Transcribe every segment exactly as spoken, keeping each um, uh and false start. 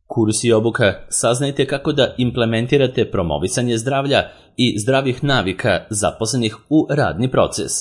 Kurs i obuka. Saznajte kako da implementirate promovisanje zdravlja i zdravih navika zaposlenih u radni proces.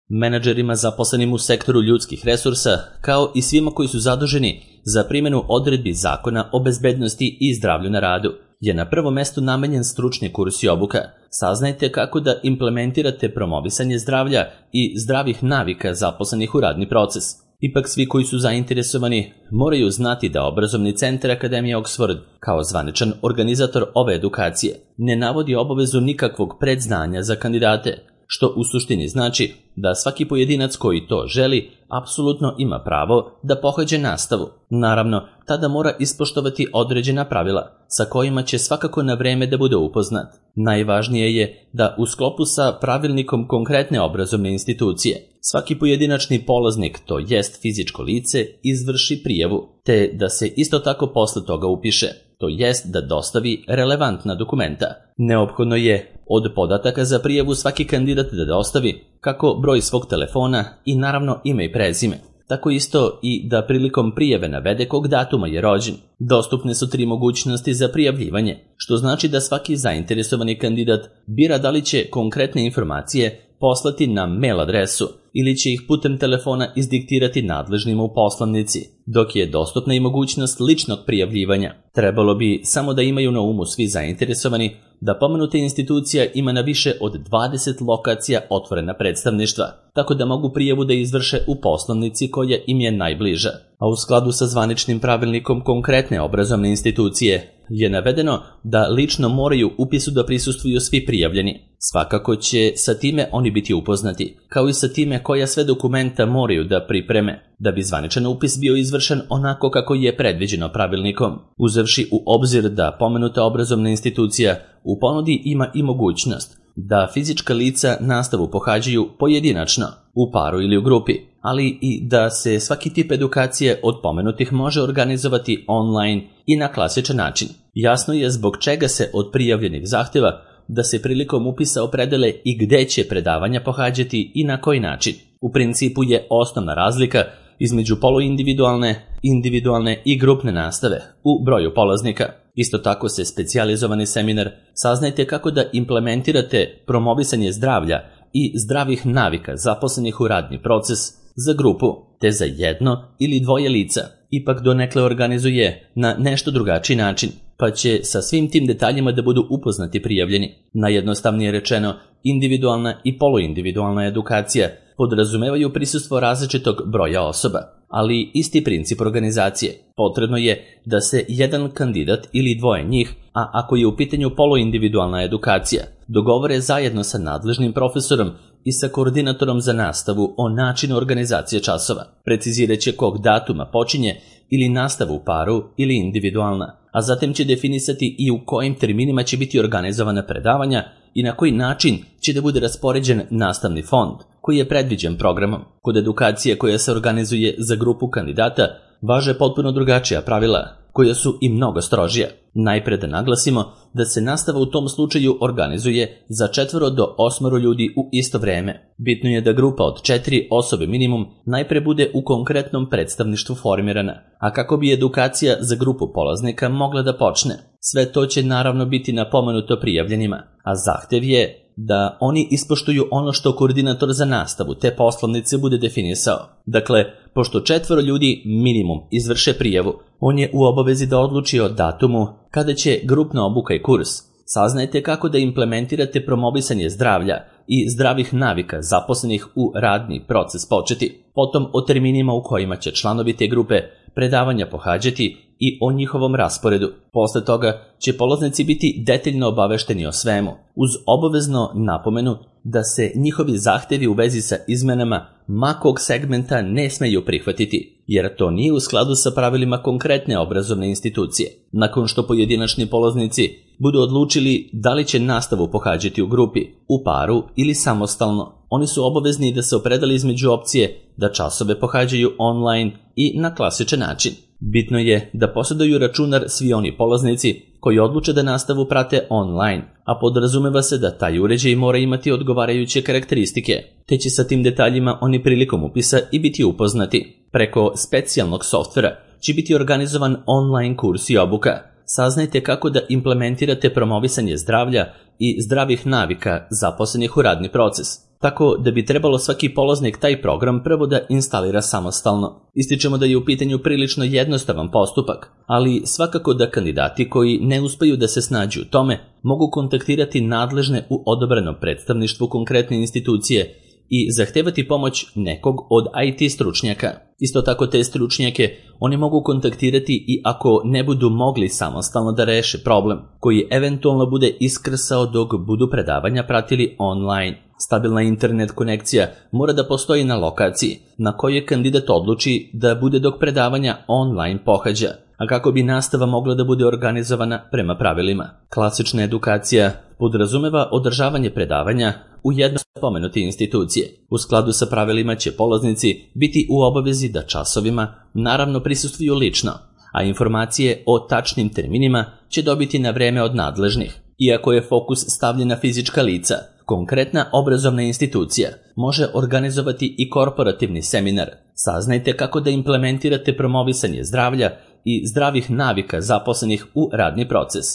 Menadžerima zaposlenim u sektoru ljudskih resursa, kao i svima koji su zaduženi za primjenu odredbi Zakona o bezbednosti i zdravlju na radu, je na prvom mestu namenjen stručni kurs i obuka. Saznajte kako da implementirate promovisanje zdravlja i zdravih navika zaposlenih u radni proces. Ipak svi koji su zainteresovani moraju znati da Obrazovni centar Akademije Oxford, kao zvaničan organizator ove edukacije, ne navodi obavezu nikakvog predznanja za kandidate, što u suštini znači da svaki pojedinac koji to želi apsolutno ima pravo da pohađa nastavu. Naravno, tada mora ispoštovati određena pravila sa kojima će svakako na vreme da bude upoznat. Najvažnije je da u sklopu sa pravilnikom konkretne obrazovne institucije svaki pojedinačni polaznik, to jest fizičko lice, izvrši prijavu, te da se isto tako posle toga upiše, to jest da dostavi relevantna dokumenta. Neophodno je od podataka za prijavu svaki kandidat da dostavi kako broj svog telefona i naravno ime i prezime. Tako isto i da prilikom prijave navede kog datuma je rođen. Dostupne su tri mogućnosti za prijavljivanje, što znači da svaki zainteresovani kandidat bira da li će konkretne informacije poslati na mail adresu ili će ih putem telefona izdiktirati nadležnima u poslanici, dok je dostupna i mogućnost ličnog prijavljivanja. Trebalo bi samo da imaju na umu svi zainteresovani da pomenuta institucija ima na više od dvadeset lokacija otvorena predstavništva, tako da mogu prijavu da izvrše u poslanici koja im je najbliža. A u skladu sa zvaničnim pravilnikom konkretne obrazovne institucije je navedeno da lično moraju upisu da prisustvuju svi prijavljeni. Svakako će sa time oni biti upoznati, kao i sa time koja sve dokumenta moraju da pripreme, da bi zvaničan upis bio izvršen onako kako je predviđeno pravilnikom, uzevši u obzir da pomenuta obrazovna institucija u ponudi ima i mogućnost da fizička lica nastavu pohađaju pojedinačno, u paru ili u grupi, ali i da se svaki tip edukacije od pomenutih može organizovati online i na klasičan način. Jasno je zbog čega se od prijavljenih zahtjeva da se prilikom upisa opredele i gde će predavanja pohađati i na koji način. U principu je osnovna razlika između poluindividualne, individualne i grupne nastave u broju polaznika. Isto tako se specijalizovani seminar Saznajte kako da implementirate promovisanje zdravlja i zdravih navika zaposlenih u radni proces za grupu, te za jedno ili dvoje lica, ipak donekle organizuje na nešto drugačiji način, pa će sa svim tim detaljima da budu upoznati prijavljeni. Najjednostavnije rečeno, individualna i poluindividualna edukacija podrazumevaju prisustvo različitog broja osoba, ali isti princip organizacije. Potrebno je da se jedan kandidat ili dvoje njih, a ako je u pitanju poluindividualna edukacija, dogovore zajedno sa nadležnim profesorom i sa koordinatorom za nastavu o načinu organizacije časova. Precizirat će kog datuma počinje ili nastavu u paru ili individualna, a zatim će definisati i u kojim terminima će biti organizovana predavanja i na koji način će da bude raspoređen nastavni fond koji je predviđen programom. Kod edukacije koja se organizuje za grupu kandidata važe potpuno drugačija pravila, koja su i mnogo strožija. Najpre da naglasimo da se nastava u tom slučaju organizuje za četvoro do osmoro ljudi u isto vreme. Bitno je da grupa od četiri osobe minimum najpre bude u konkretnom predstavništvu formirana, a kako bi edukacija za grupu polaznika mogla da počne. Sve to će naravno biti napomenuto prijavljenima, a zahtev je da oni ispoštuju ono što koordinator za nastavu te poslovnice bude definisao. Dakle, pošto četvoro ljudi minimum izvrše prijavu, on je u obavezi da odluči o datumu kada će grupna obuka i kurs. Saznajte kako da implementirate promovisanje zdravlja i zdravih navika zaposlenih u radni proces početi, potom o terminima u kojima će članovi te grupe predavanja pohađati i o njihovom rasporedu. Posle toga će polaznici biti detaljno obavešteni o svemu, uz obavezno napomenu da se njihovi zahtevi u vezi sa izmenama makog segmenta ne smeju prihvatiti, jer to nije u skladu sa pravilima konkretne obrazovne institucije. Nakon što pojedinačni polaznici budu odlučili da li će nastavu pohađati u grupi, u paru ili samostalno, oni su obavezni da se opredele između opcije da časove pohađaju online i na klasičan način. Bitno je da posjeduju računar svi oni polaznici koji odluče da nastavu prate online, a podrazumeva se da taj uređaj mora imati odgovarajuće karakteristike, te će sa tim detaljima oni prilikom upisa i biti upoznati. Preko specijalnog softvera će biti organizovan online kurs i obuka. Saznajte kako da implementirate promovisanje zdravlja i zdravih navika zaposlenih u radni proces, tako da bi trebalo svaki polaznik taj program prvo da instalira samostalno. Ističemo da je u pitanju prilično jednostavan postupak, ali svakako da kandidati koji ne uspeju da se snađu u tome mogu kontaktirati nadležne u odobrenom predstavništvu konkretne institucije i zahtevati pomoć nekog od I T stručnjaka. Isto tako te stručnjake oni mogu kontaktirati i ako ne budu mogli samostalno da reše problem, koji eventualno bude iskrsao dok budu predavanja pratili online. Stabilna internet konekcija mora da postoji na lokaciji na kojoj kandidat odluči da bude dok predavanja online pohađa, a kako bi nastava mogla da bude organizovana prema pravilima. Klasična edukacija podrazumeva održavanje predavanja u jednoj spomenute institucije. U skladu sa pravilima će polaznici biti u obavezi da časovima naravno prisustvuju lično, a informacije o tačnim terminima će dobiti na vreme od nadležnih. Iako je fokus stavljen na fizička lica, konkretna obrazovna institucija može organizovati i korporativni seminar. Saznajte kako da implementirate promovisanje zdravlja i zdravih navika zaposlenih u radni proces.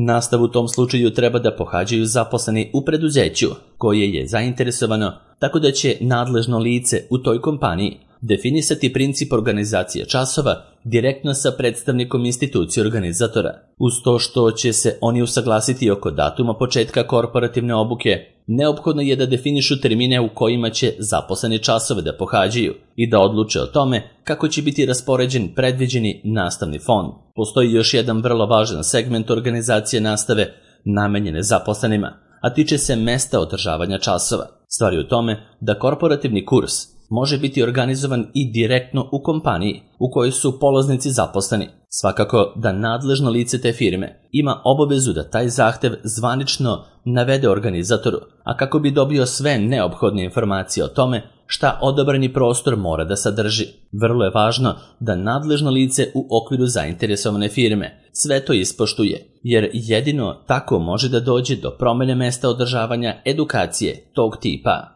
Nastavu u tom slučaju treba da pohađaju zaposleni u preduzeću koje je zainteresovano, tako da će nadležno lice u toj kompaniji definisati princip organizacije časova direktno sa predstavnikom institucije organizatora. Uz to što će se oni usaglasiti oko datuma početka korporativne obuke, neophodno je da definišu termine u kojima će zaposleni časove da pohađaju i da odluče o tome kako će biti raspoređen predviđeni nastavni fond. Postoji još jedan vrlo važan segment organizacije nastave namenjene zaposlenima, a tiče se mesta održavanja časova. Stvar je u tome da korporativni kurs može biti organizovan i direktno u kompaniji u kojoj su polaznici zaposleni. Svakako da nadležno lice te firme ima obavezu da taj zahtev zvanično navede organizatoru, a kako bi dobio sve neophodne informacije o tome šta odabrani prostor mora da sadrži. Vrlo je važno da nadležno lice u okviru zainteresovane firme sve to ispoštuje, jer jedino tako može da dođe do promene mesta održavanja edukacije tog tipa.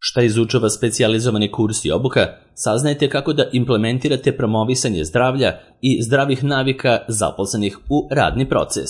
Šta izučava specijalizovani kurs i obuka, saznajte kako da implementirate promovisanje zdravlja i zdravih navika zaposlenih u radni proces.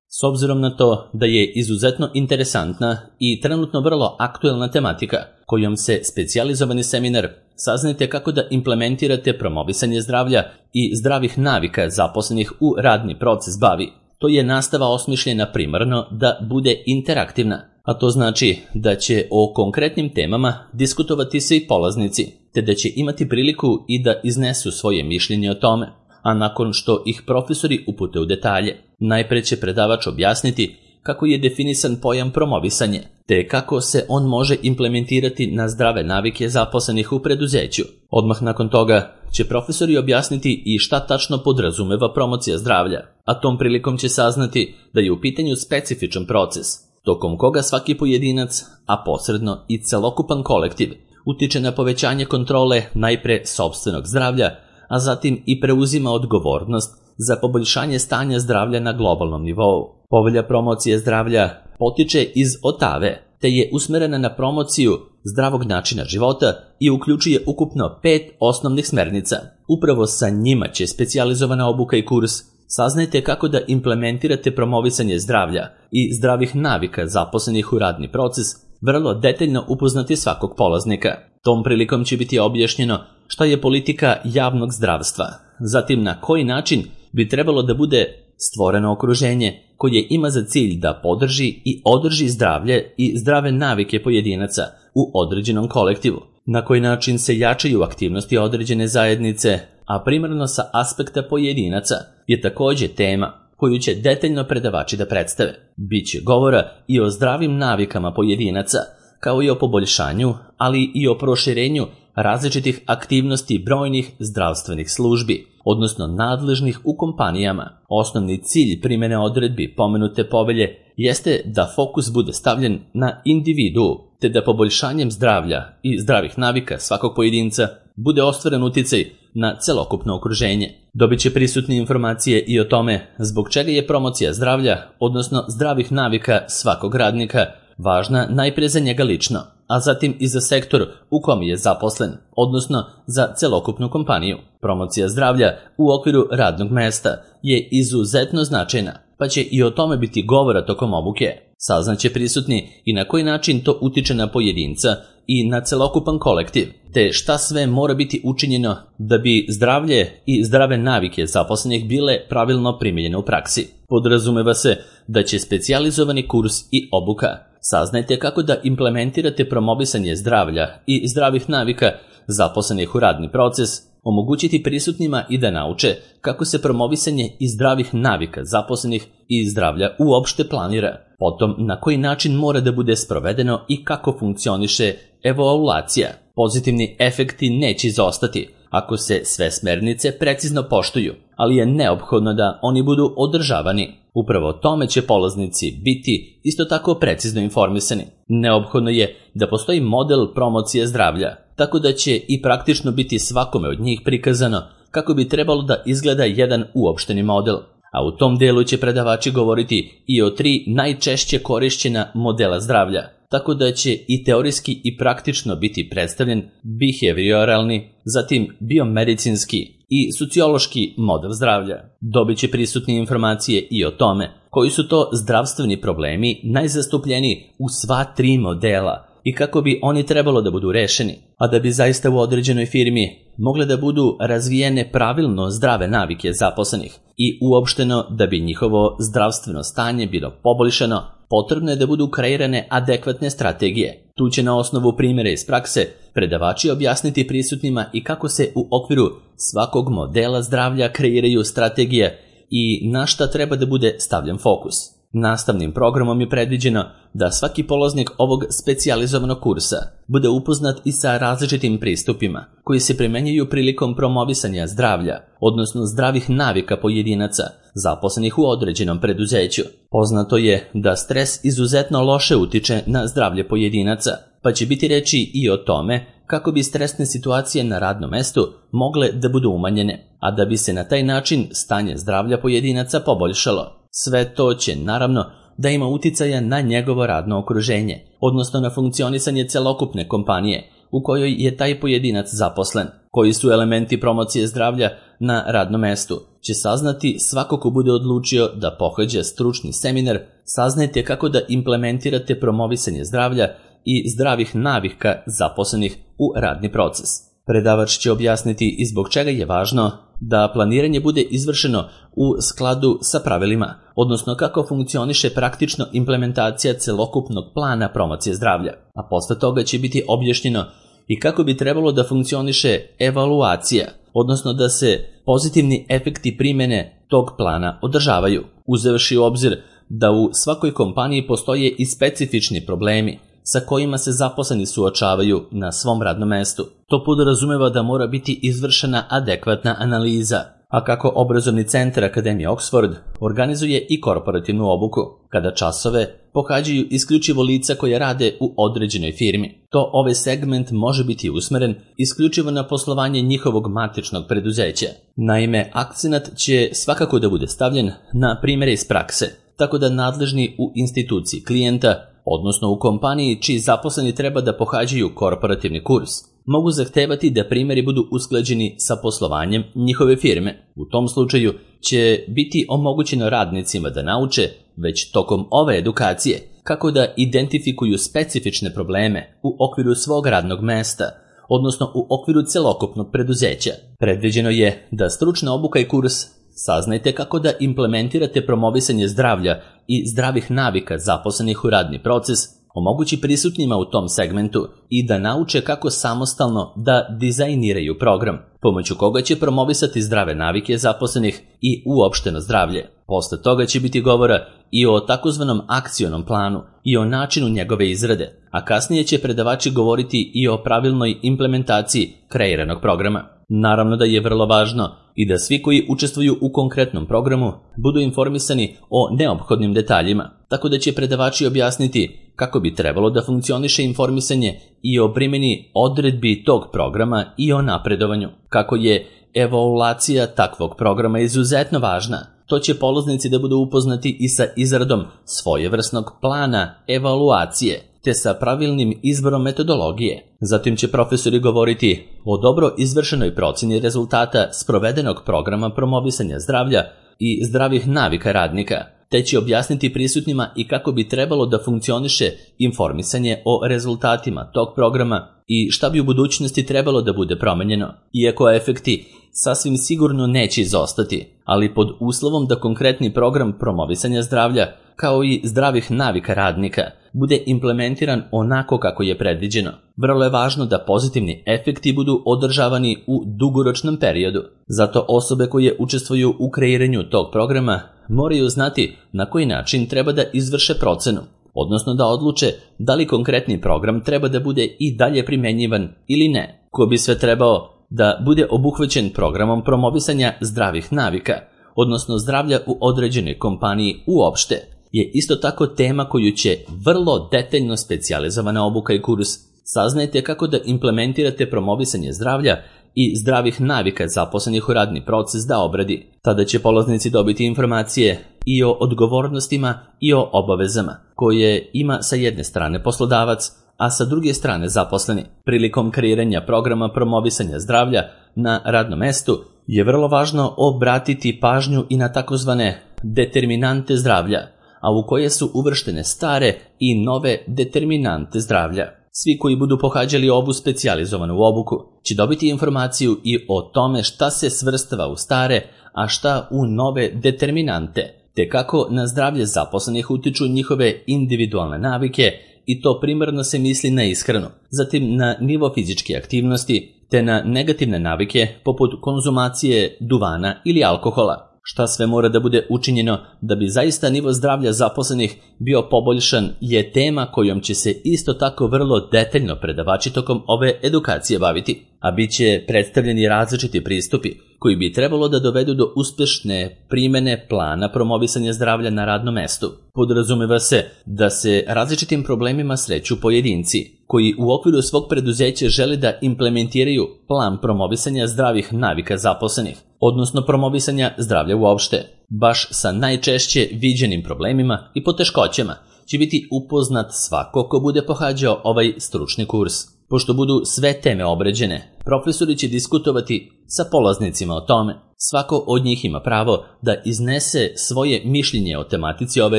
S obzirom na to da je izuzetno interesantna i trenutno vrlo aktuelna tematika kojom se specijalizovani seminar saznajte kako da implementirate promovisanje zdravlja i zdravih navika zaposlenih u radni proces bavi. To je nastava osmišljena primarno da bude interaktivna, a to znači da će o konkretnim temama diskutovati svi polaznici, te da će imati priliku i da iznesu svoje mišljenje o tome, a nakon što ih profesori upute u detalje. Najpre će predavač objasniti kako je definisan pojam promovisanje, te kako se on može implementirati na zdrave navike zaposlenih u preduzeću. Odmah nakon toga će profesori objasniti i šta tačno podrazumeva promocija zdravlja, a tom prilikom će saznati da je u pitanju specifičan proces, tokom koga svaki pojedinac, a posredno i celokupan kolektiv, utiče na povećanje kontrole najpre sopstvenog zdravlja, a zatim i preuzima odgovornost za poboljšanje stanja zdravlja na globalnom nivou. Povelja promocije zdravlja potiče iz Otave, te je usmerena na promociju zdravog načina života i uključuje ukupno pet osnovnih smernica. Upravo sa njima će specijalizovana obuka i kurs. Saznajte kako da implementirate promovisanje zdravlja i zdravih navika zaposlenih u radni proces, vrlo detaljno upoznati svakog polaznika. Tom prilikom će biti objašnjeno šta je politika javnog zdravstva, zatim na koji način bi trebalo da bude stvoreno okruženje koje ima za cilj da podrži i održi zdravlje i zdrave navike pojedinaca u određenom kolektivu, na koji način se jačaju aktivnosti određene zajednice, a primarno sa aspekta pojedinaca je također tema koju će detaljno predavači da predstave. Biće govora i o zdravim navikama pojedinaca, kao i o poboljšanju, ali i o proširenju različitih aktivnosti brojnih zdravstvenih službi, odnosno nadležnih u kompanijama. Osnovni cilj primjene odredbi pomenute povelje jeste da fokus bude stavljen na individu, te da poboljšanjem zdravlja i zdravih navika svakog pojedinca bude ostvaren uticaj na celokupno okruženje. Dobit će prisutne informacije i o tome zbog čega je promocija zdravlja, odnosno zdravih navika svakog radnika, važna najpre za njega lično. a zatim i za sektor u kom je zaposlen, odnosno za celokupnu kompaniju. Promocija zdravlja u okviru radnog mesta je izuzetno značajna, pa će i o tome biti govora tokom obuke. Saznaće prisutni i na koji način to utiče na pojedinca i na celokupan kolektiv, te šta sve mora biti učinjeno da bi zdravlje i zdrave navike zaposlenih bile pravilno primijenjene u praksi. Podrazumeva se da će specijalizovani kurs i obuka. Saznajte kako da implementirate promovisanje zdravlja i zdravih navika zaposlenih u radni proces, omogućiti prisutnima i da nauče kako se promovisanje i zdravih navika zaposlenih i zdravlja uopšte planira, potom na koji način mora da bude sprovedeno i kako funkcioniše evaluacija. Pozitivni efekti neće izostati ako se sve smernice precizno poštuju, ali je neophodno da oni budu održavani. Upravo tome će polaznici biti isto tako precizno informisani. Neophodno je da postoji model promocije zdravlja, tako da će i praktično biti svakome od njih prikazano kako bi trebalo da izgleda jedan uopšteni model. A u tom delu će predavači govoriti i o tri najčešće korišćena modela zdravlja, tako da će i teorijski i praktično biti predstavljen behavioralni, zatim biomedicinski i sociološki model zdravlja. Dobit će prisutne informacije i o tome koji su to zdravstveni problemi najzastupljeniji u sva tri modela i kako bi oni trebalo da budu rešeni, a da bi zaista u određenoj firmi mogle da budu razvijene pravilno zdrave navike zaposlenih i uopšteno da bi njihovo zdravstveno stanje bilo poboljšano, potrebno je da budu kreirane adekvatne strategije. Tu će na osnovu primjera iz prakse predavači objasniti prisutnima i kako se u okviru svakog modela zdravlja kreiraju strategije i na šta treba da bude stavljen fokus. Nastavnim programom je predviđeno da svaki polaznik ovog specijalizovanog kursa bude upoznat i sa različitim pristupima koji se primenjuju prilikom promovisanja zdravlja, odnosno zdravih navika pojedinaca zaposlenih u određenom preduzeću. Poznato je da stres izuzetno loše utiče na zdravlje pojedinaca, pa će biti reči i o tome kako bi stresne situacije na radnom mestu mogle da budu umanjene, a da bi se na taj način stanje zdravlja pojedinaca poboljšalo. Sve to će, naravno, da ima uticaja na njegovo radno okruženje, odnosno na funkcionisanje celokupne kompanije u kojoj je taj pojedinac zaposlen. Koji su elementi promocije zdravlja na radnom mestu će saznati svako ko bude odlučio da pohađa stručni seminar. Saznajte kako da implementirate promovisanje zdravlja i zdravih navika zaposlenih u radni proces. Predavač će objasniti i zbog čega je važno da planiranje bude izvršeno u skladu sa pravilima, odnosno kako funkcioniše praktično implementacija celokupnog plana promocije zdravlja, a posle toga će biti objašnjeno i kako bi trebalo da funkcioniše evaluacija, odnosno da se pozitivni efekti primjene tog plana održavaju, uzevši u obzir da u svakoj kompaniji postoje i specifični problemi sa kojima se zaposleni suočavaju na svom radnom mestu. To podrazumeva da mora biti izvršena adekvatna analiza, a kako obrazovni centar Akademije Oxford organizuje i korporativnu obuku, kada časove pohađaju isključivo lica koje rade u određenoj firmi. To ovaj segment može biti usmeren isključivo na poslovanje njihovog matičnog preduzeća. Naime, akcenat će svakako da bude stavljen na primjere iz prakse, tako da nadležni u instituciji klijenta, odnosno u kompaniji čiji zaposleni treba da pohađaju korporativni kurs, mogu zahtevati da primjeri budu usklađeni sa poslovanjem njihove firme. U tom slučaju će biti omogućeno radnicima da nauče već tokom ove edukacije kako da identifikuju specifične probleme u okviru svog radnog mesta, odnosno u okviru celokupnog preduzeća. Predviđeno je da stručna obuka i kurs saznajte kako da implementirate promovisanje zdravlja i zdravih navika zaposlenih u radni proces, omogući prisutnima u tom segmentu i da nauče kako samostalno da dizajniraju program, pomoću koga će promovisati zdrave navike zaposlenih i uopšteno zdravlje. Posle toga će biti govora i o takozvanom akcionom planu i o načinu njegove izrade, a kasnije će predavači govoriti i o pravilnoj implementaciji kreiranog programa. Naravno da je vrlo važno i da svi koji učestvuju u konkretnom programu budu informisani o neophodnim detaljima, tako da će predavači objasniti kako bi trebalo da funkcioniše informisanje i o primjeni odredbi tog programa i o napredovanju, kako je evaluacija takvog programa izuzetno važna To će polaznici da budu upoznati i sa izradom svojevrsnog plana evaluacije, te sa pravilnim izborom metodologije. Zatim će profesori govoriti o dobro izvršenoj procjeni rezultata sprovedenog programa promovisanja zdravlja i zdravih navika radnika, te će objasniti prisutnima i kako bi trebalo da funkcioniše informisanje o rezultatima tog programa i šta bi u budućnosti trebalo da bude promenjeno, iako efekti sasvim sigurno neće izostati, ali pod uslovom da konkretni program promovisanja zdravlja, kao i zdravih navika radnika, bude implementiran onako kako je predviđeno. Vrlo je važno da pozitivni efekti budu održavani u dugoročnom periodu. Zato osobe koje učestvuju u kreiranju tog programa moraju znati na koji način treba da izvrše procenu, odnosno da odluče da li konkretni program treba da bude i dalje primenjivan ili ne. Ko bi sve trebao da bude obuhvaćen programom promovisanja zdravih navika, odnosno zdravlja u određenoj kompaniji uopšte, je isto tako tema koju će vrlo detaljno specijalizovana obuka i kurs. Saznajte kako da implementirate promovisanje zdravlja i zdravih navika zaposlenih u radni proces da obradi. Tada će polaznici dobiti informacije i o odgovornostima i o obavezama koje ima sa jedne strane poslodavac, a sa druge strane zaposleni. Prilikom kreiranja programa promovisanja zdravlja na radnom mestu je vrlo važno obratiti pažnju i na takozvane determinante zdravlja, a u koje su uvrštene stare i nove determinante zdravlja. Svi koji budu pohađali ovu specijalizovanu obuku će dobiti informaciju i o tome šta se svrstava u stare, a šta u nove determinante, te kako na zdravlje zaposlenih utiču njihove individualne navike, i to primarno se misli na ishranu, zatim na nivo fizičke aktivnosti, te na negativne navike poput konzumacije duvana ili alkohola. Šta sve mora da bude učinjeno da bi zaista nivo zdravlja zaposlenih bio poboljšan je tema kojom će se isto tako vrlo detaljno predavači tokom ove edukacije baviti, a bit će predstavljeni različiti pristupi koji bi trebalo da dovedu do uspešne primene plana promovisanja zdravlja na radnom mestu. Podrazumeva se da se različitim problemima sreću pojedinci koji u okviru svog preduzeća žele da implementiraju plan promovisanja zdravih navika zaposlenih, odnosno promovisanja zdravlja uopšte. Baš sa najčešće viđenim problemima i poteškoćama će biti upoznat svako ko bude pohađao ovaj stručni kurs. Pošto budu sve teme obrađene, profesori će diskutovati sa polaznicima o tome. Svako od njih ima pravo da iznese svoje mišljenje o tematici ove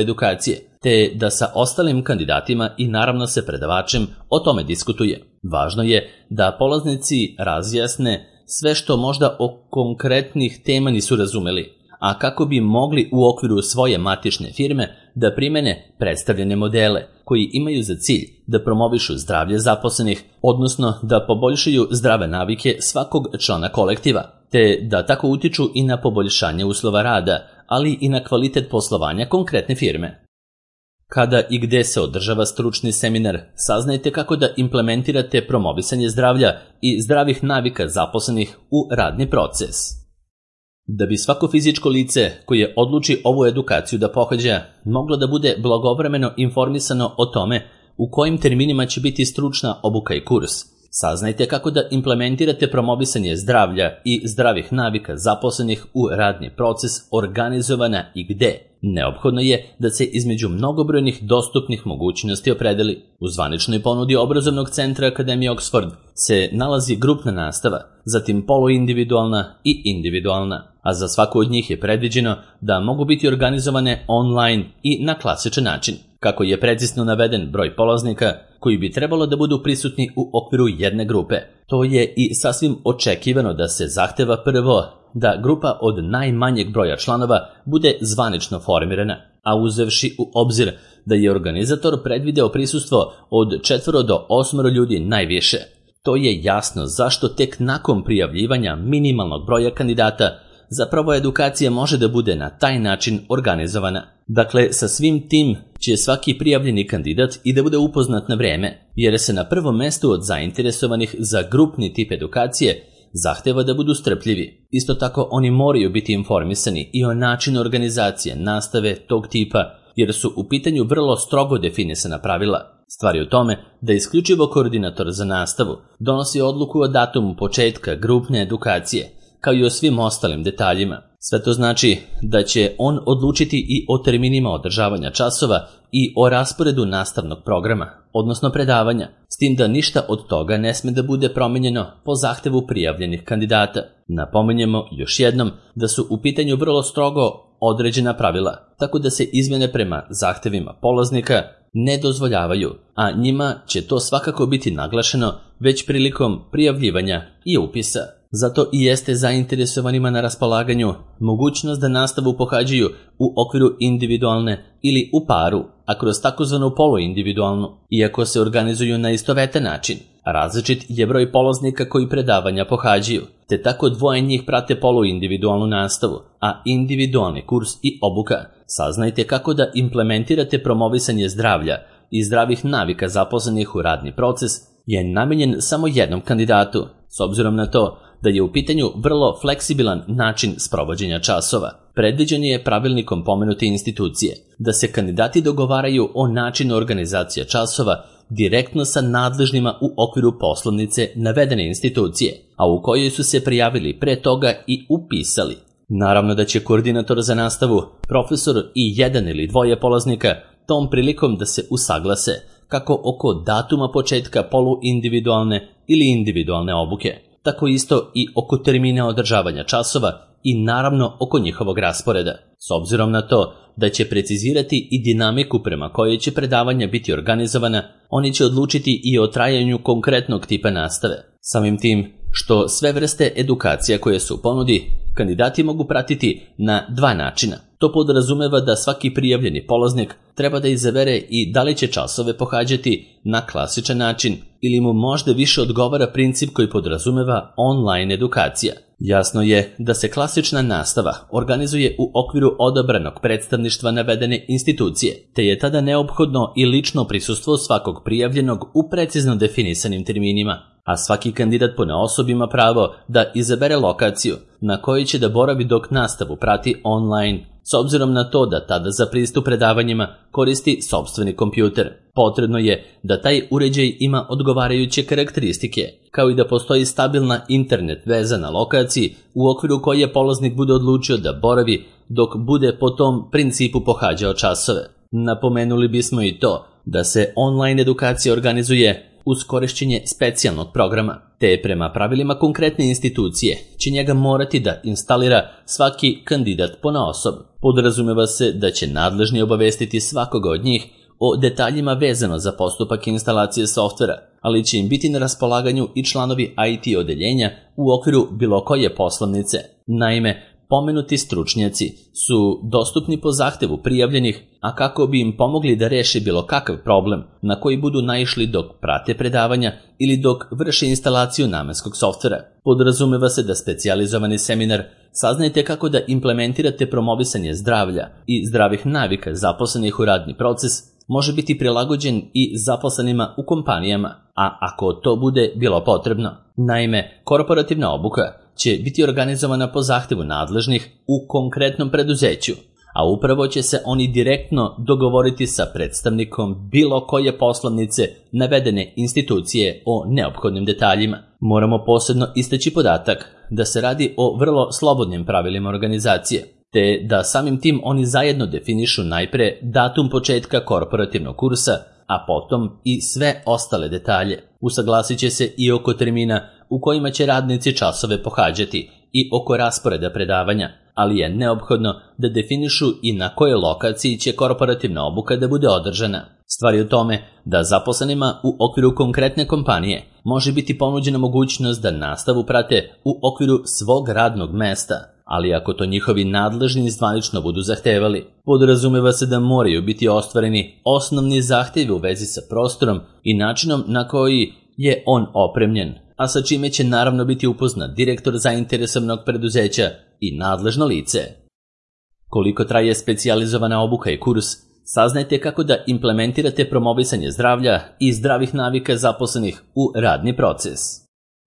edukacije, te da sa ostalim kandidatima i naravno sa predavačem o tome diskutuje. Važno je da polaznici razjasne sve što možda o konkretnih tema nisu razumeli, a kako bi mogli u okviru svoje matične firme da primene predstavljene modele koji imaju za cilj da promovišu zdravlje zaposlenih, odnosno da poboljšaju zdrave navike svakog člana kolektiva, te da tako utiču i na poboljšanje uslova rada, ali i na kvalitet poslovanja konkretne firme. Kada i gde se održava stručni seminar, saznajte kako da implementirate promovisanje zdravlja i zdravih navika zaposlenih u radni proces. Da bi svako fizičko lice koje odluči ovu edukaciju da pohađa moglo da bude blagovremeno informisano o tome u kojim terminima će biti stručna obuka i kurs, saznajte kako da implementirate promovisanje zdravlja i zdravih navika zaposlenih u radni proces organizovana i gde. Neophodno je da se između mnogobrojnih dostupnih mogućnosti opredeli. U zvaničnoj ponudi obrazovnog centra Akademije Oxford se nalazi grupna nastava, zatim poluindividualna i individualna, a za svaku od njih je predviđeno da mogu biti organizovane online i na klasičan način. Kako je precizno naveden broj polaznika koji bi trebalo da budu prisutni u okviru jedne grupe, to je i sasvim očekivano da se zahteva prvo da grupa od najmanjeg broja članova bude zvanično formirana, a uzevši u obzir da je organizator predvideo prisustvo od četvoro do osmoro ljudi najviše, to je jasno zašto tek nakon prijavljivanja minimalnog broja kandidata zapravo edukacija može da bude na taj način organizovana. Dakle, sa svim tim će svaki prijavljeni kandidat i da bude upoznat na vreme, jer se na prvom mestu od zainteresovanih za grupni tip edukacije zahteva da budu strpljivi. Isto tako oni moraju biti informisani i o načinu organizacije nastave tog tipa, jer su u pitanju vrlo strogo definisana pravila. Stvar je u tome da isključivo koordinator za nastavu donosi odluku o datumu početka grupne edukacije, kao i o svim ostalim detaljima. Sve to znači da će on odlučiti i o terminima održavanja časova i o rasporedu nastavnog programa, odnosno predavanja, s tim da ništa od toga ne sme da bude promenjeno po zahtevu prijavljenih kandidata. Napominjemo još jednom da su u pitanju vrlo strogo određena pravila, tako da se izmjene prema zahtevima polaznika ne dozvoljavaju, a njima će to svakako biti naglašeno već prilikom prijavljivanja i upisa. Zato i jeste zainteresovanima na raspolaganju mogućnost da nastavu pohađaju u okviru individualne ili u paru, a kroz takozvanu poluindividualnu, iako se organizuju na istovetan način. Različit je broj polaznika koji predavanja pohađaju, te tako dvoje njih prate poluindividualnu nastavu, a individualni kurs i obuka. Saznajte kako da implementirate promovisanje zdravlja i zdravih navika zaposlenih u radni proces je namenjen samo jednom kandidatu, s obzirom na to da je u pitanju vrlo fleksibilan način sprovođenja časova. Predviđen je pravilnikom pomenute institucije da se kandidati dogovaraju o načinu organizacije časova direktno sa nadležnima u okviru poslovnice navedene institucije, a u kojoj su se prijavili pre toga i upisali. Naravno da će koordinator za nastavu, profesor i jedan ili dvoje polaznika tom prilikom da se usaglase kako oko datuma početka poluindividualne ili individualne obuke, tako isto i oko termina održavanja časova i naravno oko njihovog rasporeda. S obzirom na to da će precizirati i dinamiku prema kojoj će predavanja biti organizovana, oni će odlučiti i o trajanju konkretnog tipa nastave. Samim tim što sve vrste edukacija koje su u ponudi, kandidati mogu pratiti na dva načina. To podrazumeva da svaki prijavljeni polaznik treba da izabere i da li će časove pohađati na klasičan način ili mu možda više odgovara princip koji podrazumeva online edukacija. Jasno je da se klasična nastava organizuje u okviru odabranog predstavništva navedene institucije, te je tada neophodno i lično prisustvo svakog prijavljenog u precizno definisanim terminima, a svaki kandidat ponaosob ima pravo da izabere lokaciju na kojoj će da boravi dok nastavu prati online, s obzirom na to da tada za pristup predavanjima koristi sopstveni kompjuter. Potrebno je da taj uređaj ima odgovarajuće karakteristike, kao i da postoji stabilna internet veza na lokaciji u okviru koje polaznik bude odlučio da boravi dok bude po tom principu pohađao časove. Napomenuli bismo i to da se online edukacija organizuje uz korišćenje specijalnog programa, te prema pravilima konkretne institucije će njega morati da instalira svaki kandidat ponaosob. Podrazumeva se da će nadležni obavestiti svakoga od njih o detaljima vezano za postupak instalacije softvera, ali će im biti na raspolaganju i članovi I T odeljenja u okviru bilo koje poslovnice. Naime, pomenuti stručnjaci su dostupni po zahtevu prijavljenih, a kako bi im pomogli da reše bilo kakav problem na koji budu naišli dok prate predavanja ili dok vrše instalaciju namenskog softvera. Podrazumeva se da specijalizovani seminar saznajte kako da implementirate promovisanje zdravlja i zdravih navika zaposlenih u radni proces može biti prilagođen i zaposlenima u kompanijama, a ako to bude bilo potrebno. Naime, korporativna obuka će biti organizovana po zahtevu nadležnih u konkretnom preduzeću, a upravo će se oni direktno dogovoriti sa predstavnikom bilo koje poslovnice navedene institucije o neophodnim detaljima. Moramo posebno istaći podatak da se radi o vrlo slobodnim pravilima organizacije, te da samim tim oni zajedno definišu najpre datum početka korporativnog kursa, a potom i sve ostale detalje. Usaglasit će se i oko termina u kojima će radnici časove pohađati i oko rasporeda predavanja, ali je neophodno da definišu i na kojoj lokaciji će korporativna obuka da bude održana. Stvar je u tome da zaposlenima u okviru konkretne kompanije može biti ponuđena mogućnost da nastavu prate u okviru svog radnog mesta, ali ako to njihovi nadležni zvanično budu zahtevali, podrazumeva se da moraju biti ostvareni osnovni zahtevi u vezi sa prostorom i načinom na koji je on opremljen, a sa čime će naravno biti upoznat direktor zainteresovanog preduzeća i nadležno lice. Koliko traje specijalizovana obuka i kurs, saznajte kako da implementirate promovisanje zdravlja i zdravih navika zaposlenih u radni proces.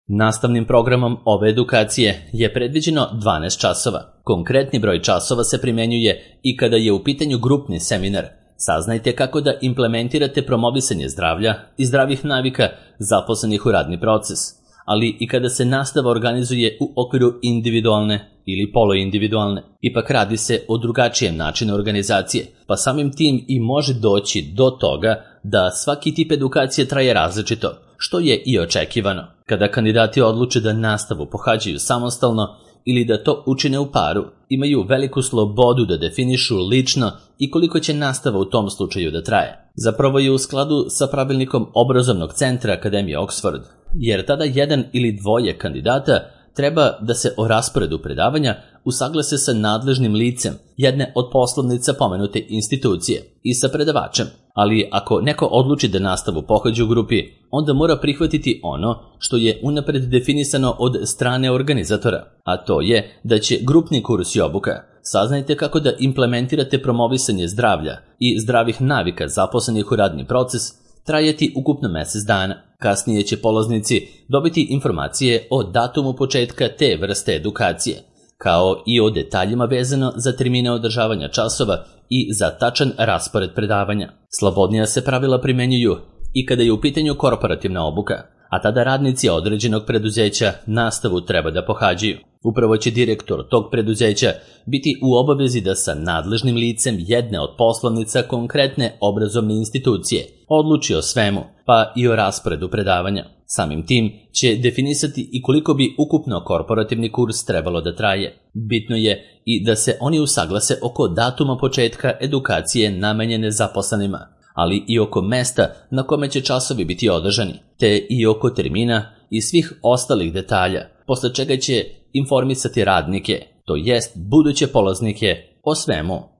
Nastavnim programom ove edukacije je predviđeno dvanaest časova. Konkretni broj časova se primenjuje i kada je u pitanju grupni seminar. Saznajte kako da implementirate promovisanje zdravlja i zdravih navika zaposlenih u radni proces, ali i kada se nastava organizuje u okviru individualne ili poluindividualne. Ipak radi se o drugačijem načinu organizacije, pa samim tim i može doći do toga da svaki tip edukacije traje različito, što je i očekivano. Kada kandidati odluče da nastavu pohađaju samostalno ili da to učine u paru, imaju veliku slobodu da definišu lično i koliko će nastava u tom slučaju da traje. Zapravo je u skladu sa pravilnikom obrazovnog centra Akademije Oxford, jer tada jedan ili dvoje kandidata treba da se o rasporedu predavanja usaglase sa nadležnim licem jedne od poslovnica pomenute institucije i sa predavačem, ali ako neko odluči da nastavu pohađa u grupi, onda mora prihvatiti ono što je unapred definisano od strane organizatora, a to je da će grupni kurs i obuka saznajte kako da implementirate promovisanje zdravlja i zdravih navika zaposlenih u radni proces trajati ukupno mesec dana. Kasnije će polaznici dobiti informacije o datumu početka te vrste edukacije, kao i o detaljima vezano za termine održavanja časova i za tačan raspored predavanja. Slobodnija se pravila primenjuju i kada je u pitanju korporativna obuka, a tada radnici određenog preduzeća nastavu treba da pohađaju. Upravo će direktor tog preduzeća biti u obavezi da sa nadležnim licem jedne od poslovnica konkretne obrazovne institucije odluči o svemu, pa i o rasporedu predavanja. Samim tim će definisati i koliko bi ukupno korporativni kurs trebalo da traje. Bitno je i da se oni usaglase oko datuma početka edukacije namenjene zaposlenima, ali i oko mesta na kome će časovi biti održani, te i oko termina i svih ostalih detalja, posle čega će informisati radnike, to jest buduće polaznike, o svemu.